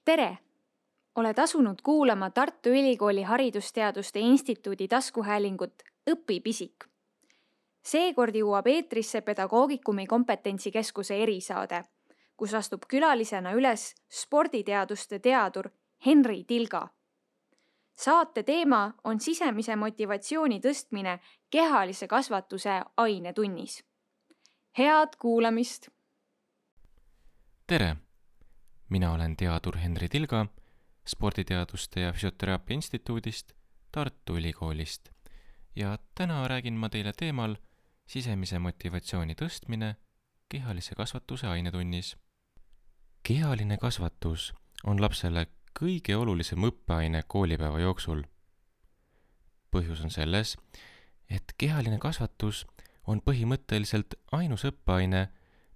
Tere! Oled asunud kuulama Tartu Ülikooli Haridusteaduste Instituudi taskuhäälingut Õpi pisik. Seekord jõuab eetrisse Pedagoogikumi kompetentsikeskuse erisaade, kus astub külalisena üles sporditeaduste teadur Henri Tilga. Saate teema on sisemise motivatsiooni tõstmine kehalise kasvatuse ainetunnis. Head kuulamist! Tere! Mina olen teadur Henri Tilga Sporditeaduste ja Füsioteraapia Instituudist Tartu Ülikoolist ja täna räägin ma teile teemal sisemise motivatsiooni tõstmine kehalise kasvatuse ainetunnis. Kehaline kasvatus on lapsele kõige olulisem õppeaine koolipäeva jooksul. Põhjus on selles, et kehaline kasvatus on põhimõtteliselt ainus õppeaine,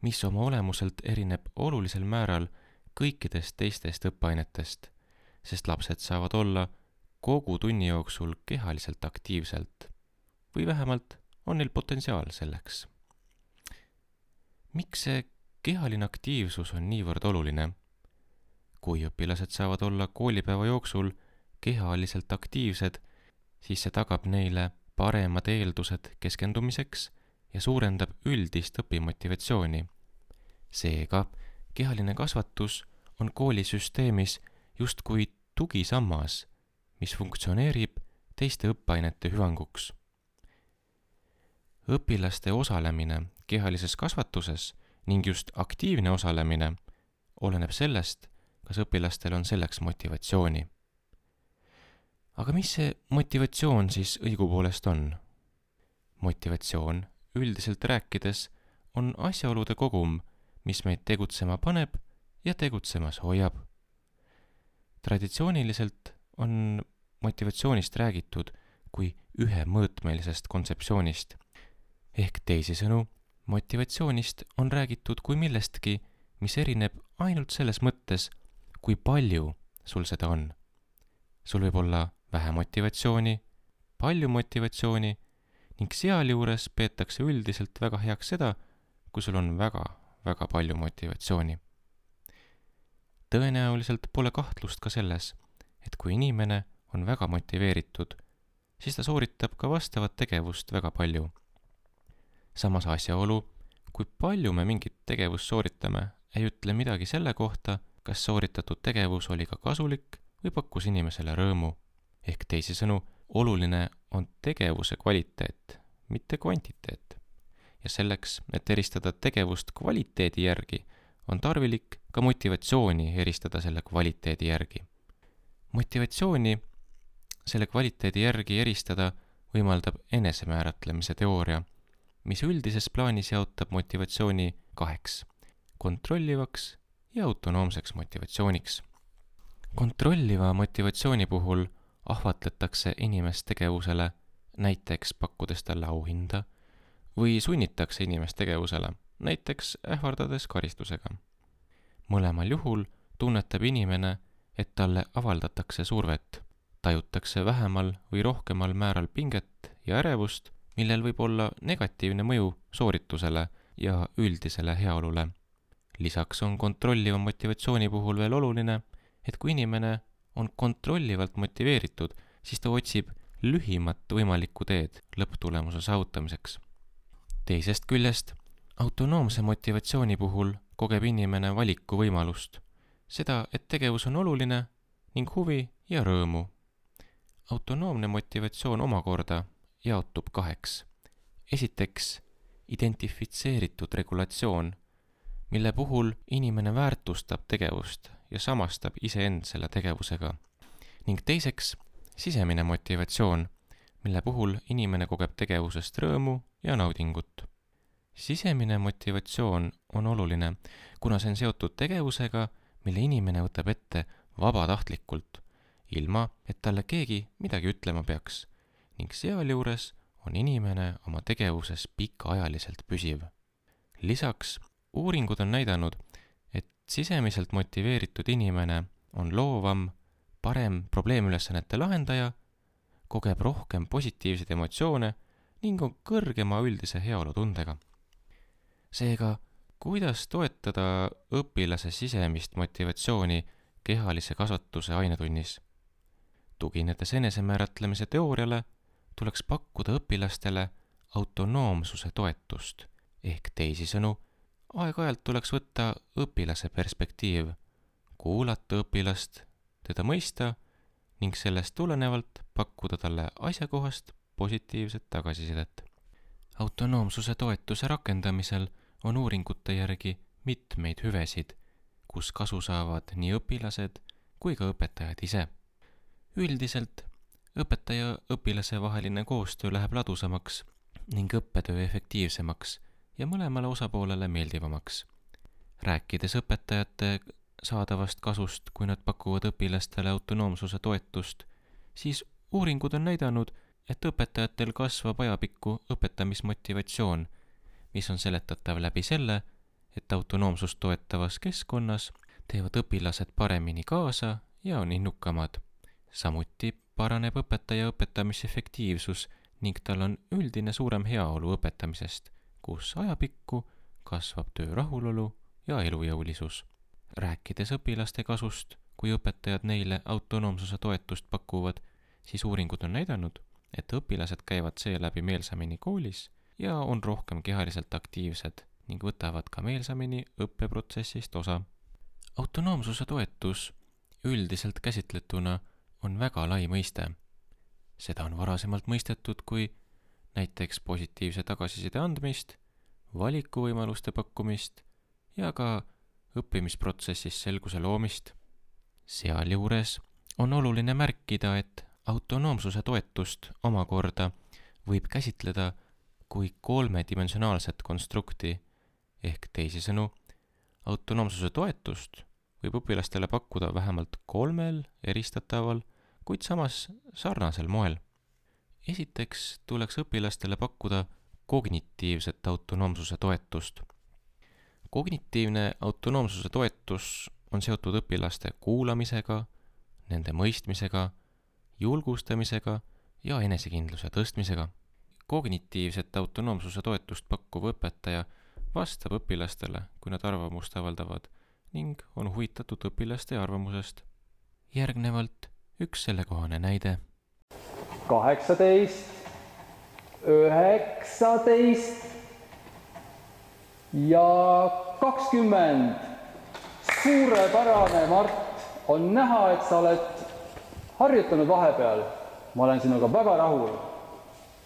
mis oma olemuselt erineb olulisel määral kõikidest teistest õppeainetest, sest lapsed saavad olla kogu tunni jooksul kehaliselt aktiivselt või vähemalt on neil potentsiaal selleks. Miks see kehaline aktiivsus on niivõrd oluline? Kui õpilased saavad olla koolipäeva jooksul kehaliselt aktiivsed, siis see tagab neile paremad eeldused keskendumiseks ja suurendab üldist õpimotivatsiooni. Seega, kehaline kasvatus on koolisüsteemis justkui tugisammas, mis funktsioneerib teiste õppeainete hüvanguks. Õpilaste osalemine kehalises kasvatuses ning just aktiivne osalemine oleneb sellest, kas õpilastel on selleks motivatsiooni. Aga mis see motivatsioon siis õigupoolest on? Motivatsioon üldiselt rääkides on asjaolude kogum, mis meid tegutsema paneb ja tegutsemas hoiab. Traditsiooniliselt on motivatsioonist räägitud kui ühemõõtmelisest kontseptsioonist. Ehk teisisõnu, motivatsioonist on räägitud kui millestki, mis erineb ainult selles mõttes, kui palju sul seda on. Sul võib olla vähe motivatsiooni, palju motivatsiooni ning sealjuures peetakse üldiselt väga heaks seda, kui sul on väga palju motivatsiooni. Tõenäoliselt pole kahtlust ka selles, et kui inimene on väga motiveeritud, siis ta sooritab ka vastavat tegevust väga palju. Samas asjaolu, kui palju me mingit tegevust sooritame, ei ütle midagi selle kohta, kas sooritatud tegevus oli ka kasulik või pakkus inimesele rõõmu. Ehk teisisõnu, oluline on tegevuse kvaliteet, mitte kvantiteet. Ja selleks, et eristada tegevust kvaliteedi järgi, on tarvilik ka motivatsiooni eristada selle kvaliteedi järgi. Motivatsiooni selle kvaliteedi järgi eristada võimaldab enesemääratlemise teooria, mis üldises plaanis jaotab motivatsiooni 2, kontrollivaks ja autonoomseks motivatsiooniks. Kontrolliva motivatsiooni puhul ahvatletakse inimest tegevusele, näiteks pakkudes talle auhinda, või sunnitakse inimest tegevusele, näiteks ähvardades karistusega. Mõlemal juhul tunnetab inimene, et talle avaldatakse survet, tajutakse vähemal või rohkemal määral pinget ja ärevust, millel võib olla negatiivne mõju sooritusele ja üldisele heaolule. Lisaks on kontrolliva motivatsiooni puhul veel oluline, et kui inimene on kontrollivalt motiveeritud, siis ta otsib lühimat võimalikku teed lõpptulemuse saavutamiseks. Teisest küljest, autonoomse motivatsiooni puhul kogeb inimene valiku võimalust, seda, et tegevus on oluline ning huvi ja rõõmu. Autonoomne motivatsioon omakorda jaotub 2. Esiteks, identifitseeritud regulatsioon, mille puhul inimene väärtustab tegevust ja samastab iseend selle tegevusega. Ning teiseks, sisemine motivatsioon, mille puhul inimene kogeb tegevusest rõõmu ja naudingut. Sisemine motivatsioon on oluline, kuna see on seotud tegevusega, mille inimene võtab ette vabatahtlikult, ilma et talle keegi midagi ütlema peaks, ning sealjuures on inimene oma tegevuses pikaajaliselt püsiv. Lisaks, uuringud on näidanud, et sisemiselt motiveeritud inimene on loovam, parem probleemülesannete lahendaja, kogeb rohkem positiivseid emotsioone ning on kõrgema üldise heaolutundega. Seega, kuidas toetada õpilase sisemist motivatsiooni kehalise kasvatuse ainetunnis. Tuginedes enesemääratlemise teooriale tuleks pakkuda õpilastele autonoomsuse toetust, ehk teisisõnu, aeg-ajalt tuleks võtta õpilase perspektiiv, kuulata õpilast, teda mõista ning sellest tulenevalt pakkuda talle asjakohast positiivset tagasisidet. Autonoomsuse toetuse rakendamisel on uuringute järgi mitmeid hüvesid, kus kasu saavad nii õpilased kui ka õpetajad ise. Üldiselt õpetaja õpilase vaheline koostöö läheb ladusamaks ning õppetöö efektiivsemaks ja mõlemale osapoolele meeldivamaks. Rääkides õpetajate saadavast kasust, kui nad pakuvad õpilastele autonoomsuse toetust, siis uuringud on näidanud, et õpetajatel kasvab ajapikku õpetamismotivatsioon, mis on seletatav läbi selle, et autonoomsust toetavas keskkonnas teevad õpilased paremini kaasa ja on innukamad. Samuti paraneb õpetaja õpetamisefektiivsus ning tal on üldine suurem heaolu õpetamisest, kus ajapikku kasvab töö rahulolu ja elujõulisus. Rääkides õpilaste kasust, kui õpetajad neile autonoomsuse toetust pakuvad, siis uuringud on näidanud, et õpilased käivad seeläbi meelsamini koolis ja on rohkem kehaliselt aktiivsed ning võtavad ka meelsamini õppeprotsessist osa. Autonoomsuse toetus üldiselt käsitletuna on väga lai mõiste. Seda on varasemalt mõistetud kui näiteks positiivse tagasiside andmist, valikuvõimaluste pakkumist ja ka õppimisprotsessis selguse loomist. Sealjuures on oluline märkida, et autonoomsuse toetust omakorda võib käsitleda kui kolmedimensionaalset konstrukti, ehk teisisõnu, autonoomsuse toetust võib õpilastele pakkuda vähemalt 3 eristataval, kuid samas sarnasel moel. Esiteks tuleks õpilastele pakkuda kognitiivset autonoomsuse toetust. Kognitiivne autonoomsuse toetus on seotud õpilaste kuulamisega, nende mõistmisega, julgustamisega ja enesekindluse tõstmisega. Kognitiivset autonoomsuse toetust pakkuv õpetaja vastab õpilastele, kui nad arvamust avaldavad ning on huvitatud õpilaste arvamusest. Järgnevalt üks sellekohane näide. 18, 19 ja 20. Suurepärane, Mart. On näha, et sa oled harjutanud vahepeal. Ma olen sinuga väga rahul.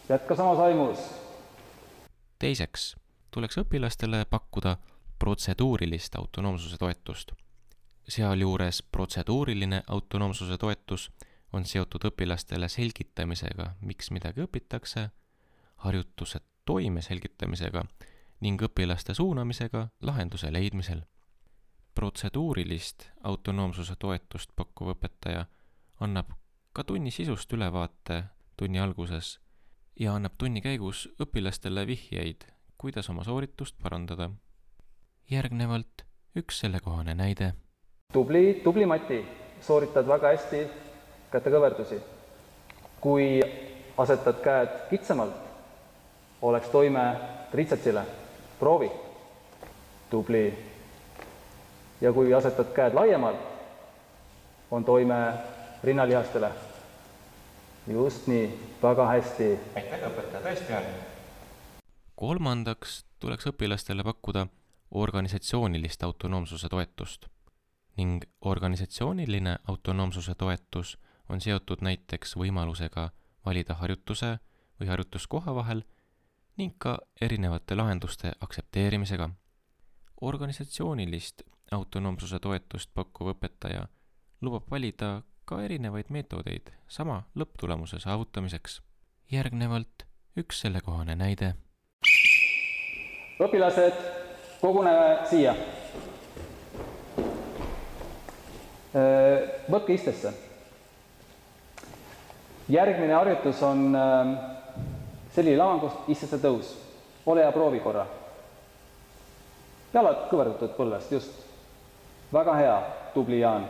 Jätka samas aimus. Teiseks tuleks õpilastele pakkuda protseduurilist autonoomsuse toetust. Sealjuures protseduuriline autonoomsuse toetus on seotud õpilastele selgitamisega, miks midagi õpitakse, harjutuse toime selgitamisega ning õpilaste suunamisega lahenduse leidmisel. Protseduurilist autonoomsuse toetust pakkuv õpetaja annab ka tunni sisust ülevaate tunni alguses ja annab tunni käigus õpilastele vihjeid, kuidas oma sooritust parandada. Järgnevalt üks sellekohane näide. Tubli Mati, sooritad väga hästi kätekõverdusi. Kui asetad käed kitsamalt, oleks toime tritsatsile. Proovi. Tubli. Ja kui asetad käed laiemalt, on toime rinnalihastele. Just nii, väga hästi. Aitäh, õpetaja, tõesti hea. Kolmandaks tuleks õpilastele pakkuda organisatsioonilist autonoomsuse toetust ning organisatsiooniline autonoomsuse toetus on seotud näiteks võimalusega valida harjutuse või harjutuskoha vahel ning ka erinevate lahenduste aktsepteerimisega. Organisatsioonilist autonoomsuse toetust pakkuv õpetaja lubab valida ka erinevaid meetodeid sama lõpptulemuse saavutamiseks. Järgnevalt üks sellekohane näide. Õpilased, koguneme siia. Võtke istesse. Järgmine harjutus on selline lavangust istesse tõus. Ole ja proovi korra. Jalad kõverdatud põlvest, just. Väga hea, tubli Jaan.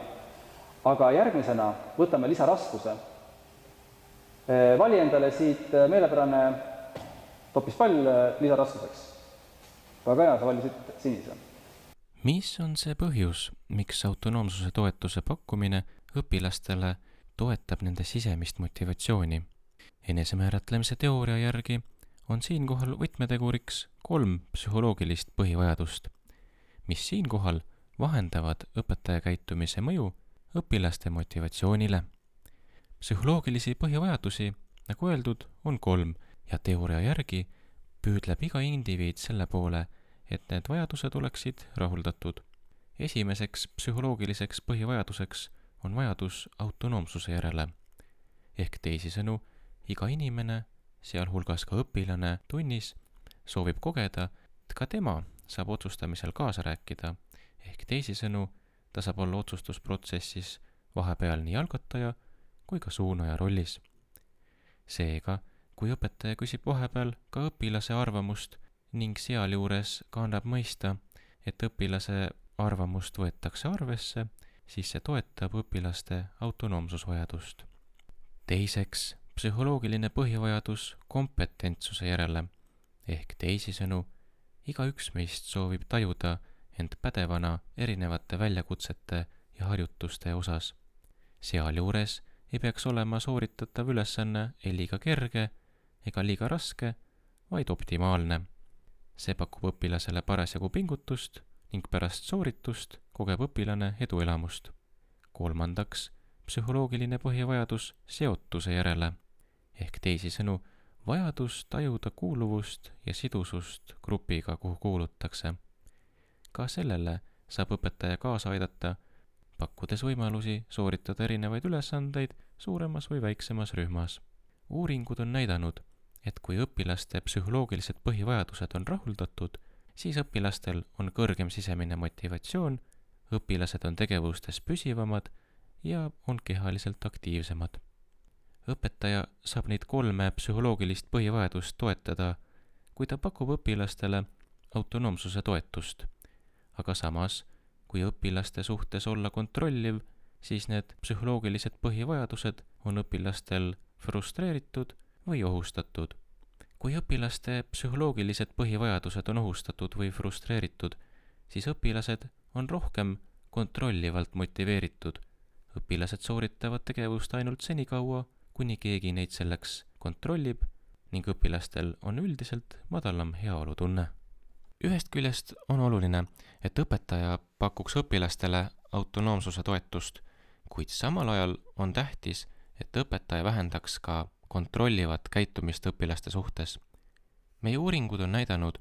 Aga järgmisena võtame lisaraskuse. Vali endale siit meelepärane topispall lisaraskuseks. Väga hea, sa valisid sinise. Mis on see põhjus, miks autonoomsuse toetuse pakkumine õpilastele toetab nende sisemist motivatsiooni? Enesemääratlemise teooria järgi on siinkohal võtmeteguriks 3 psühholoogilist põhivajadust, mis siinkohal vahendavad õpetaja käitumise mõju õpilaste motivatsioonile. Psühholoogilisi põhivajadusi, nagu öeldud, on 3 ja teooria järgi püüdleb iga indiviid selle poole, et need vajadused oleksid rahuldatud. Esimeseks psühholoogiliseks põhivajaduseks on vajadus autonoomsuse järele. Ehk teisisõnu, iga inimene, sealhulgas ka õpilane tunnis, soovib kogeda, et ka tema saab otsustamisel kaasa rääkida. Ehk teisisõnu, ta saab olla otsustusprotsessis vahepeal nii algataja kui ka suunaja rollis. Seega, kui õpetaja küsib vahepeal ka õpilase arvamust ning sealjuures ka annab mõista, et õpilase arvamust võetakse arvesse, siis see toetab õpilaste autonoomsusvajadust. Teiseks, psühholoogiline põhivajadus kompetentsuse järele, ehk teisisõnu, igaüks meist soovib tajuda end pädevana erinevate väljakutsete ja harjutuste osas. Sealjuures ei peaks olema sooritatav ülesanne ei liiga kerge ega liiga raske, vaid optimaalne. See pakub õpilasele parasjagu pingutust ning pärast sooritust kogeb õpilane eduelamust. Kolmandaks, psühholoogiline põhivajadus seotuse järele, ehk teisisõnu, vajadus tajuda kuuluvust ja sidusust grupiga, kuhu kuulutakse. Ka sellele saab õpetaja kaasa aidata, pakkudes võimalusi sooritada erinevaid ülesandeid suuremas või väiksemas rühmas. Uuringud on näidanud, et kui õpilaste psühholoogilised põhivajadused on rahuldatud, siis õpilastel on kõrgem sisemine motivatsioon, õpilased on tegevustes püsivamad ja on kehaliselt aktiivsemad. Õpetaja saab neid 3 psühholoogilist põhivajadust toetada, kui ta pakub õpilastele autonoomsuse toetust. Aga samas, kui õpilaste suhtes olla kontrolliv, siis need psühholoogilised põhivajadused on õpilastel frustreeritud või ohustatud. Kui õpilaste psühholoogilised põhivajadused on ohustatud või frustreeritud, siis õpilased on rohkem kontrollivalt motiveeritud. Õpilased sooritavad tegevust ainult senikaua, kuni keegi neid selleks kontrollib ning õpilastel on üldiselt madalam heaolutunne. Ühest küljest on oluline, et õpetaja pakuks õpilastele autonoomsuse toetust, kuid samal ajal on tähtis, et õpetaja vähendaks ka kontrollivat käitumist õpilaste suhtes. Meie uuringud on näidanud,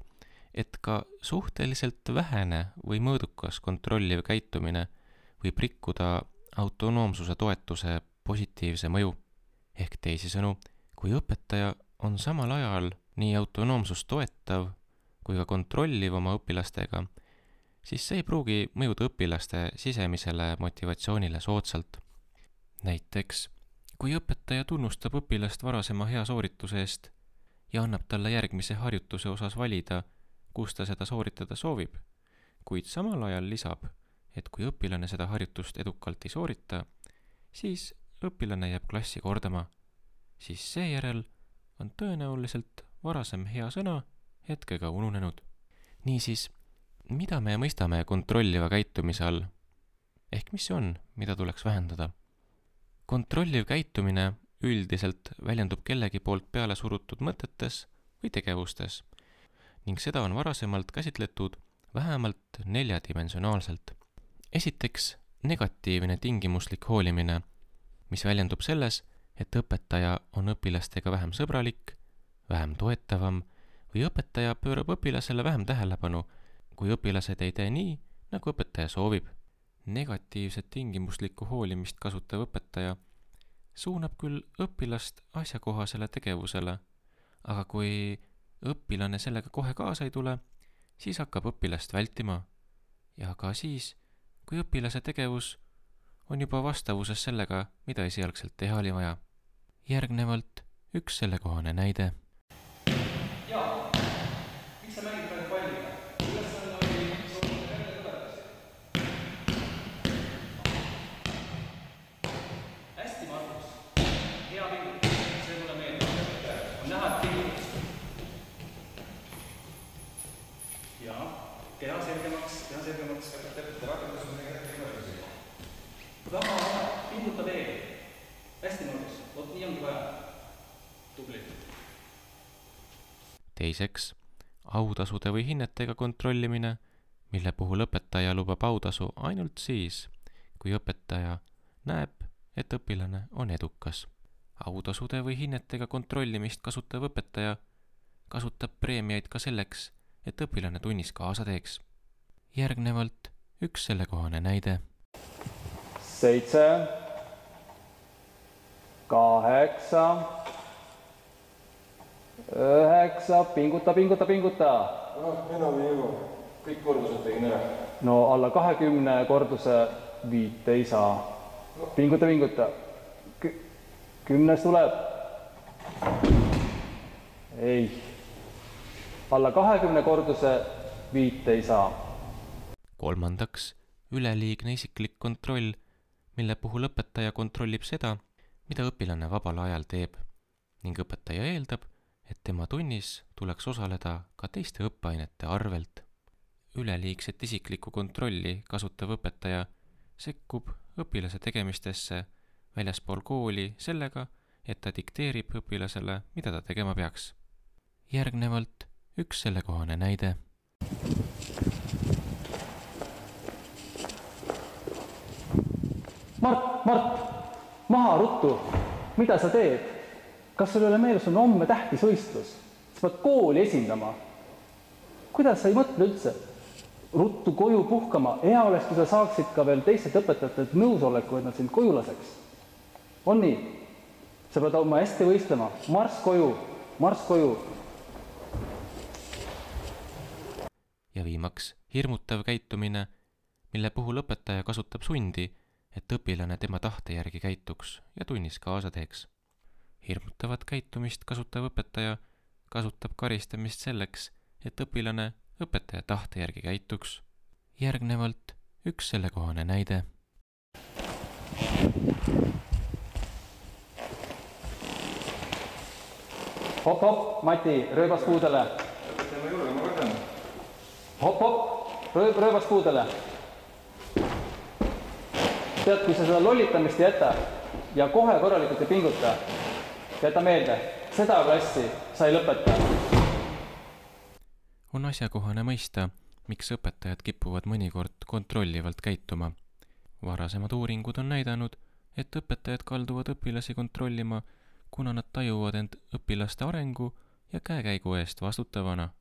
et ka suhteliselt vähene või mõõdukas kontrolliv käitumine võib rikkuda autonoomsuse toetuse positiivse mõju. Ehk teisisõnu, kui õpetaja on samal ajal nii autonoomsust toetav kui ka kontrolliv oma õpilastega, siis see ei pruugi mõjuda õpilaste sisemisele motivatsioonile soodsalt. Näiteks, kui õpetaja tunnustab õpilast varasema hea soorituse eest ja annab talle järgmise harjutuse osas valida, kus ta seda sooritada soovib, kuid samal ajal lisab, et kui õpilane seda harjutust edukalt ei soorita, siis õpilane jääb klassi kordama, siis seejärel on tõenäoliselt varasem hea sõna hetkega ununenud. Niisiis, mida me mõistame kontrolliva käitumise all? Ehk mis see on, mida tuleks vähendada? Kontrolliv käitumine üldiselt väljendub kellegi poolt peale surutud mõtetes või tegevustes ning seda on varasemalt käsitletud vähemalt 4-dimensionaalselt. Esiteks, negatiivne tingimuslik hoolimine, mis väljendub selles, et õpetaja on õpilastega vähem sõbralik, vähem toetavam või õpetaja pöörab õpilasele vähem tähelepanu, kui õpilased ei tee nii, nagu õpetaja soovib. Negatiivset tingimuslikku hoolimist kasutav õpetaja suunab küll õpilast asjakohasele tegevusele, aga kui õpilane sellega kohe kaasa ei tule, siis hakkab õpilast vältima ja ka siis, kui õpilase tegevus on juba vastavuses sellega, mida esialgselt teha oli vaja. Järgnevalt üks sellekohane näide. Jaa, miks sa mängid praegu palliga? Ülesanne oli soovida välja tulevasse. Hästi, Markus. Hea pingutus. See mulle meeldib. On näha, et pingutus. Jaa. teha selgemaks õpetajate rakendus. Raha ära, pinguta veel. Hästi mõnus, vot nii ongi vaja. Tubli. Teiseks, autasude või hinnetega kontrollimine, mille puhul õpetaja lubab autasu ainult siis, kui õpetaja näeb, et õpilane on edukas. Autasude või hinnetega kontrollimist kasutav õpetaja kasutab preemiaid ka selleks, et õpilane tunnis kaasa teeks. Järgnevalt üks sellekohane näide. 7, 8, 9, pinguta. Enam ei jõua. Kõik kordused tegin ära. No alla 20 korduse 5 ei saa. Pinguta. 10 tuleb. Ei. Alla 20 korduse 5 ei saa. Kolmandaks, üleliigne isiklik kontroll, mille puhul õpetaja kontrollib seda, mida õpilane vabal ajal teeb ning õpetaja eeldab, et tema tunnis tuleks osaleda ka teiste õppeainete arvelt. Üleliigset isiklikku kontrolli kasutav õpetaja sekkub õpilase tegemistesse väljaspool kooli sellega, et ta dikteerib õpilasele, mida ta tegema peaks. Järgnevalt üks sellekohane näide. Mart, maha ruttu, mida sa teed? Kas sul ei ole meeles, on homme tähtis võistlus? Sa pead kooli esindama. Kuidas sa ei mõtle üldse? Ruttu koju puhkama, hea oleks, kui sa saaksid ka veel teistelt õpetajatelt nõusoleku, et nad sind koju laseks. On nii? Sa pead oma hästi võistlema. Marss koju. Ja viimaks hirmutav käitumine, mille puhul õpetaja kasutab sundi, et õpilane tema tahte järgi käituks ja tunnis kaasa teeks. Hirmutavat käitumist kasutav õpetaja kasutab karistamist selleks, et õpilane õpetaja tahte järgi käituks. Järgnevalt üks sellekohane näide. Hop, Mati, rööbas puudele. Õpetame juurde, ma võtan. Hop, rööbas puudele. Tead, kui sa seda lollitamist jäta ja kohe korralikult ei pinguta, jäta meelde, seda klassi sa ei lõpeta. On asjakohane mõista, miks õpetajad kipuvad mõnikord kontrollivalt käituma. Varasemad uuringud on näidanud, et õpetajad kalduvad õpilasi kontrollima, kuna nad tajuvad end õpilaste arengu ja käekäigu eest vastutavana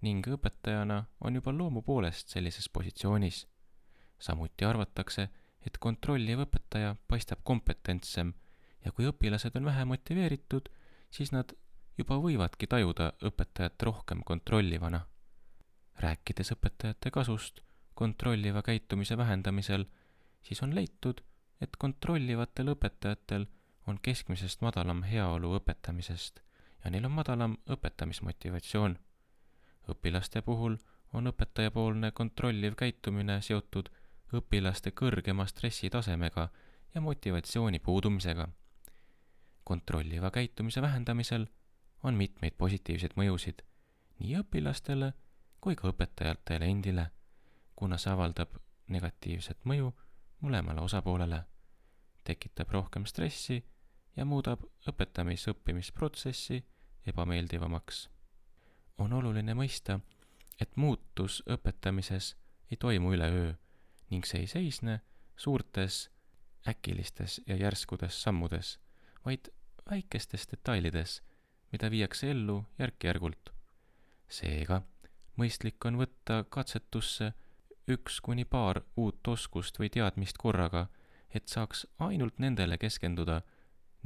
ning õpetajana on juba loomu poolest sellises positsioonis. Samuti arvatakse, et kontrolliv õpetaja paistab kompetentsem ja kui õpilased on vähe motiveeritud, siis nad juba võivadki tajuda õpetajat rohkem kontrollivana. Rääkides õpetajate kasust kontrolliva käitumise vähendamisel, siis on leitud, et kontrollivatel õpetajatel on keskmisest madalam heaolu õpetamisest ja neil on madalam õpetamismotivatsioon. Õpilaste puhul on õpetajapoolne kontrolliv käitumine seotud õpilaste kõrgema stressitasemega ja motivatsiooni puudumisega. Kontrolliva käitumise vähendamisel on mitmeid positiivseid mõjusid nii õpilastele kui ka õpetajatele endile, kuna see avaldab negatiivset mõju mõlemale osapoolele, tekitab rohkem stressi ja muudab õpetamisõppimisprotsessi ebameeldivamaks. On oluline mõista, et muutus õpetamises ei toimu üleöö ning see ei seisne suurtes, äkilistes ja järskudes sammudes, vaid väikestes detailides, mida viiakse ellu järk-järgult. Seega, mõistlik on võtta katsetusse 1 kuni paar uut oskust või teadmist korraga, et saaks ainult nendele keskenduda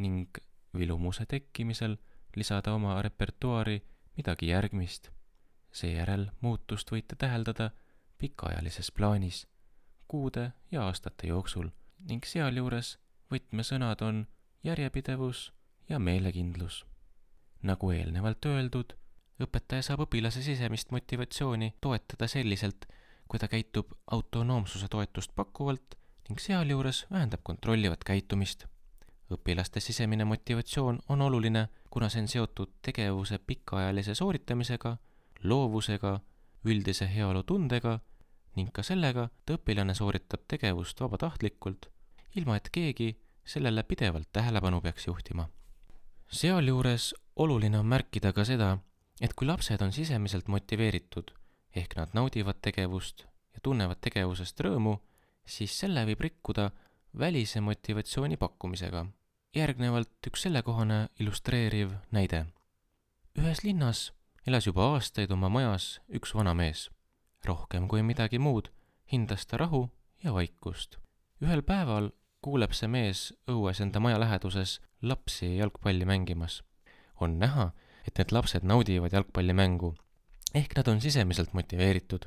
ning vilumuse tekkimisel lisada oma repertuaari midagi järgmist. Seejärel muutust võite täheldada pikaajalises plaanis, kuude ja aastate jooksul ning sealjuures võtmesõnad on järjepidevus ja meelekindlus. Nagu eelnevalt öeldud, õpetaja saab õpilase sisemist motivatsiooni toetada selliselt, kui ta käitub autonoomsuse toetust pakkuvalt ning sealjuures vähendab kontrollivat käitumist. Õpilaste sisemine motivatsioon on oluline, kuna see on seotud tegevuse pikaajalise sooritamisega, loovusega üldise heaolutundega ning ka sellega, et õpilane sooritab tegevust vabatahtlikult, ilma et keegi sellele pidevalt tähelepanu peaks juhtima. Sealjuures oluline on märkida ka seda, et kui lapsed on sisemiselt motiveeritud, ehk nad naudivad tegevust ja tunnevad tegevusest rõõmu, siis selle võib rikkuda välise motivatsiooni pakkumisega. Järgnevalt üks sellekohane illustreeriv näide. Ühes linnas elas juba aastaid oma majas üks vana mees. Rohkem kui midagi muud hindas ta rahu ja vaikust. Ühel päeval kuuleb see mees õues enda maja läheduses lapsi jalgpalli mängimas. On näha, et need lapsed naudivad jalgpallimängu, ehk nad on sisemiselt motiveeritud.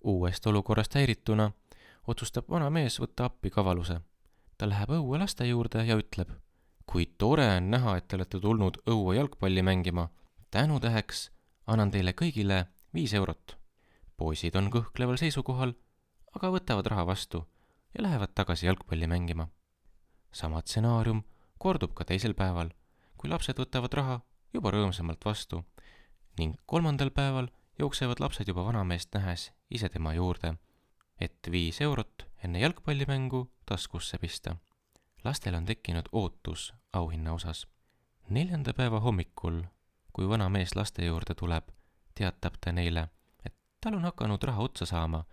Uuest olukorrast häirituna otsustab vana mees võtta appi kavaluse. Ta läheb õue laste juurde ja ütleb, kui tore on näha, et te olete tulnud õue jalgpalli mängima. Tänutäheks annan teile kõigile 5 eurot. Poisid on kõhkleval seisukohal, aga võtavad raha vastu ja lähevad tagasi jalgpalli mängima. Sama stsenaarium kordub ka teisel päeval, kui lapsed võtavad raha juba rõõmsamalt vastu ning 3. päeval jooksevad lapsed juba vanameest nähes ise tema juurde, et 5 eurot enne jalgpallimängu taskusse pista. Lastel on tekkinud ootus auhinna osas. 4. päeva hommikul, kui vana mees laste juurde tuleb, teatab ta neile, et tal on hakanud raha otsa saama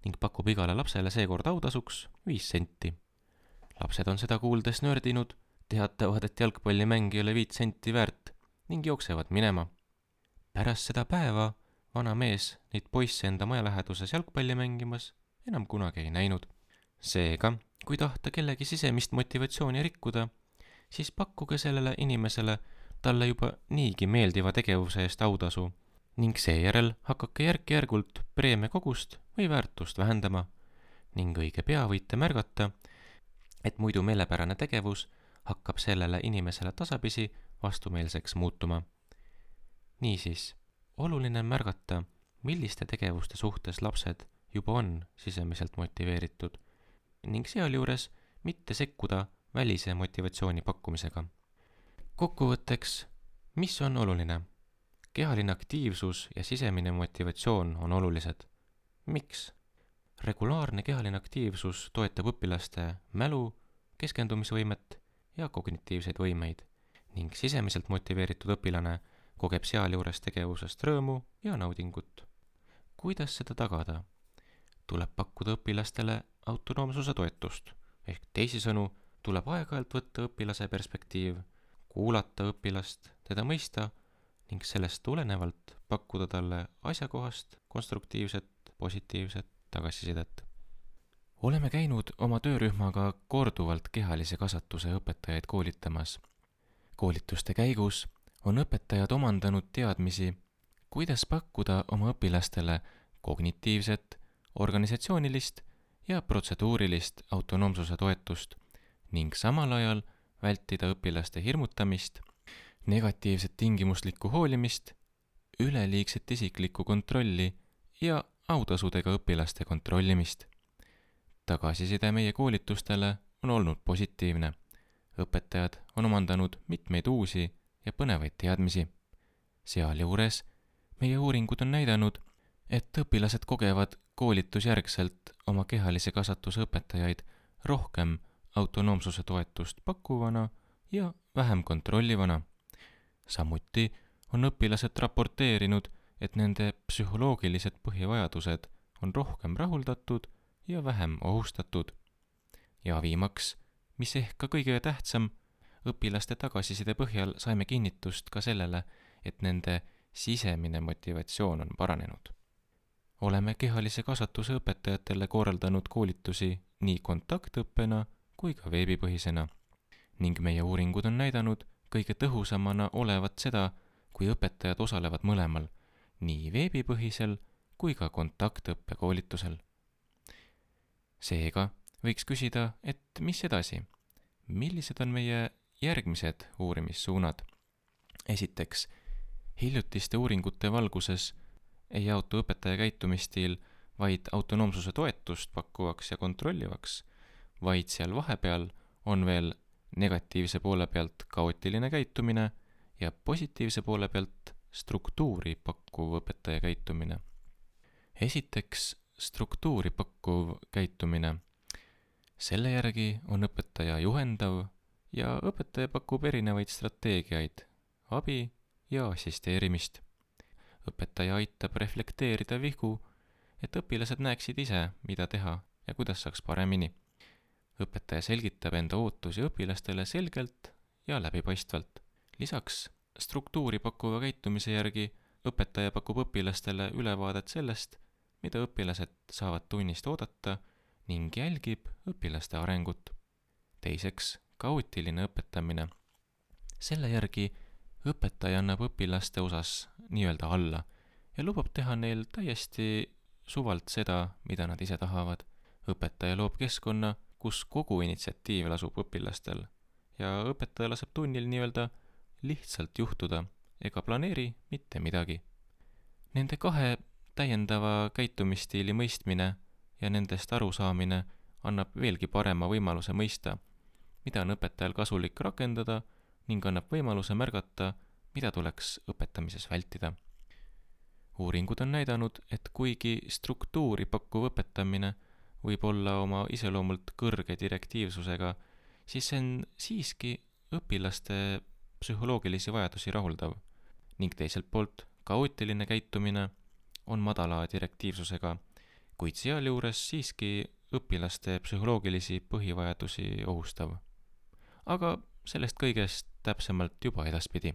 ning pakub igale lapsele seekord autasuks 5 senti. Lapsed on seda kuuldes nördinud, teatavad, et jalgpallimäng ei ole 5 senti väärt ning jooksevad minema. Pärast seda päeva vana mees neid poisse enda maja läheduses jalgpalli mängimas enam kunagi ei näinud. Seega, kui tahta kellegi sisemist motivatsiooni rikkuda, siis pakkuge sellele inimesele talle juba niigi meeldiva tegevuse eest autasu ning seejärel hakake järk-järgult preemia kogust või väärtust vähendama ning õige pea võite märgata, et muidu meelepärane tegevus hakkab sellele inimesele tasapisi vastumeelseks muutuma. Niisiis, oluline on märgata, milliste tegevuste suhtes lapsed juba on sisemiselt motiveeritud ning sealjuures mitte sekkuda välise motivatsiooni pakkumisega. Kokkuvõtteks, mis on oluline? Kehaline aktiivsus ja sisemine motivatsioon on olulised. Miks? Regulaarne kehaline aktiivsus toetab õpilaste mälu, keskendumisvõimet ja kognitiivseid võimeid ning sisemiselt motiveeritud õpilane kogeb sealjuures tegevusest rõõmu ja naudingut. Kuidas seda tagada? Tuleb pakkuda õpilastele autonoomsuse toetust, ehk teisisõnu tuleb aeg-ajalt võtta õpilase perspektiiv, kuulata õpilast, teda mõista ning sellest tulenevalt pakkuda talle asjakohast, konstruktiivset, positiivset tagasisidet. Oleme käinud oma töörühmaga korduvalt kehalise kasvatuse õpetajaid koolitamas. Koolituste käigus on õpetajad omandanud teadmisi, kuidas pakkuda oma õpilastele kognitiivset, organisatsioonilist ja protseduurilist autonoomsuse toetust ning samal ajal vältida õpilaste hirmutamist, negatiivset tingimuslikku hoolimist, üleliigset isiklikku kontrolli ja autasudega õpilaste kontrollimist. Tagasiside meie koolitustele on olnud positiivne. Õpetajad on omandanud mitmeid uusi ja põnevaid teadmisi. Sealjuures meie uuringud on näidanud, et õpilased kogevad koolitusjärgselt oma kehalise kasvatuse õpetajaid rohkem autonoomsuse toetust pakkuvana ja vähem kontrollivana. Samuti on õpilased raporteerinud, et nende psühholoogilised põhivajadused on rohkem rahuldatud ja vähem ohustatud. Ja viimaks, mis ehk ka kõige tähtsam, õpilaste tagasiside põhjal saime kinnitust ka sellele, et nende sisemine motivatsioon on paranenud. Oleme kehalise kasvatuse õpetajatele korraldanud koolitusi nii kontaktõppena kui ka veebipõhisena ning meie uuringud on näidanud kõige tõhusamana olevat seda, kui õpetajad osalevad mõlemal, nii veebipõhisel kui ka kontaktõppe koolitusel. Seega võiks küsida, et mis edasi? Millised on meie järgmised uurimissuunad? Esiteks, hiljutiste uuringute valguses ei jaotu õpetaja käitumisstiil vaid autonoomsuse toetust pakkuvaks ja kontrollivaks, vaid seal vahepeal on veel negatiivse poole pealt kaootiline käitumine ja positiivse poole pealt struktuuri pakkuv õpetaja käitumine. Esiteks, struktuuri pakkuv käitumine. Selle järgi on õpetaja juhendav ja õpetaja pakub erinevaid strateegiaid, abi ja assisteerimist. Õpetaja aitab reflekteerida vigu, et õpilased näeksid ise, mida teha ja kuidas saaks paremini. Õpetaja selgitab enda ootusi õpilastele selgelt ja läbipaistvalt. Lisaks struktuuri pakkuva käitumise järgi õpetaja pakub õpilastele ülevaadet sellest, mida õpilased saavad tunnist oodata ning jälgib õpilaste arengut. Teiseks, kaootiline õpetamine. Selle järgi õpetaja annab õpilaste osas nii-öelda alla ja lubab teha neil täiesti suvalt seda, mida nad ise tahavad. Õpetaja loob keskkonna, kus kogu initsiatiiv lasub õpilastel ja õpetaja laseb tunnil nii-öelda lihtsalt juhtuda ega planeeri mitte midagi. Nende kahe täiendava käitumisstiili mõistmine ja nendest arusaamine annab veelgi parema võimaluse mõista, mida on õpetajal kasulik rakendada ning annab võimaluse märgata, mida tuleks õpetamises vältida. Uuringud on näidanud, et kuigi struktuuri pakkuv õpetamine võib olla oma iseloomult kõrge direktiivsusega, siis see on siiski õpilaste psühholoogilisi vajadusi rahuldav ning teiselt poolt kaootiline käitumine on madala direktiivsusega, kuid sealjuures siiski õpilaste psühholoogilisi põhivajadusi ohustav. Aga sellest kõigest täpsemalt juba edaspidi.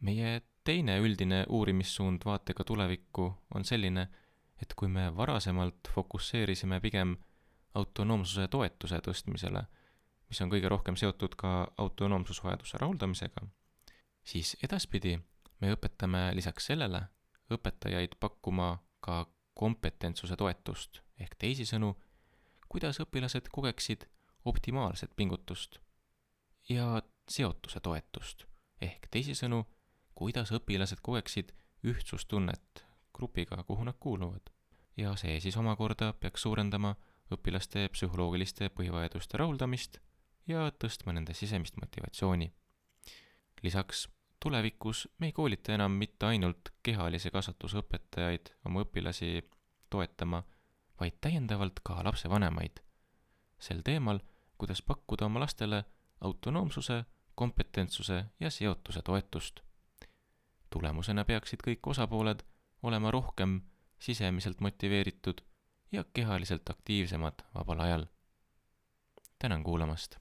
Meie teine üldine uurimissuund vaatega tulevikku on selline, et kui me varasemalt fokusseerisime pigem autonoomsuse toetuse tõstmisele, mis on kõige rohkem seotud ka autonoomsusvajaduse rahuldamisega, siis edaspidi me õpetame lisaks sellele õpetajaid pakkuma ka kompetentsuse toetust ehk teisisõnu, kuidas õpilased kogeksid optimaalset pingutust ja seotuse toetust ehk teisisõnu, kuidas õpilased kogeksid ühtsustunnet grupiga, kuhu nad kuuluvad. Ja see siis omakorda peaks suurendama õpilaste psühholoogiliste põhivajaduste rahuldamist ja tõstma nende sisemist motivatsiooni. Lisaks tulevikus me ei koolita enam mitte ainult kehalise kasvatuse õpetajaid oma õpilasi toetama, vaid täiendavalt ka lapsevanemaid sel teemal, kuidas pakkuda oma lastele autonoomsuse, kompetentsuse ja seotuse toetust. Tulemusena peaksid kõik osapooled olema rohkem sisemiselt motiveeritud ja kehaliselt aktiivsemad vabal ajal. Tänan kuulamast!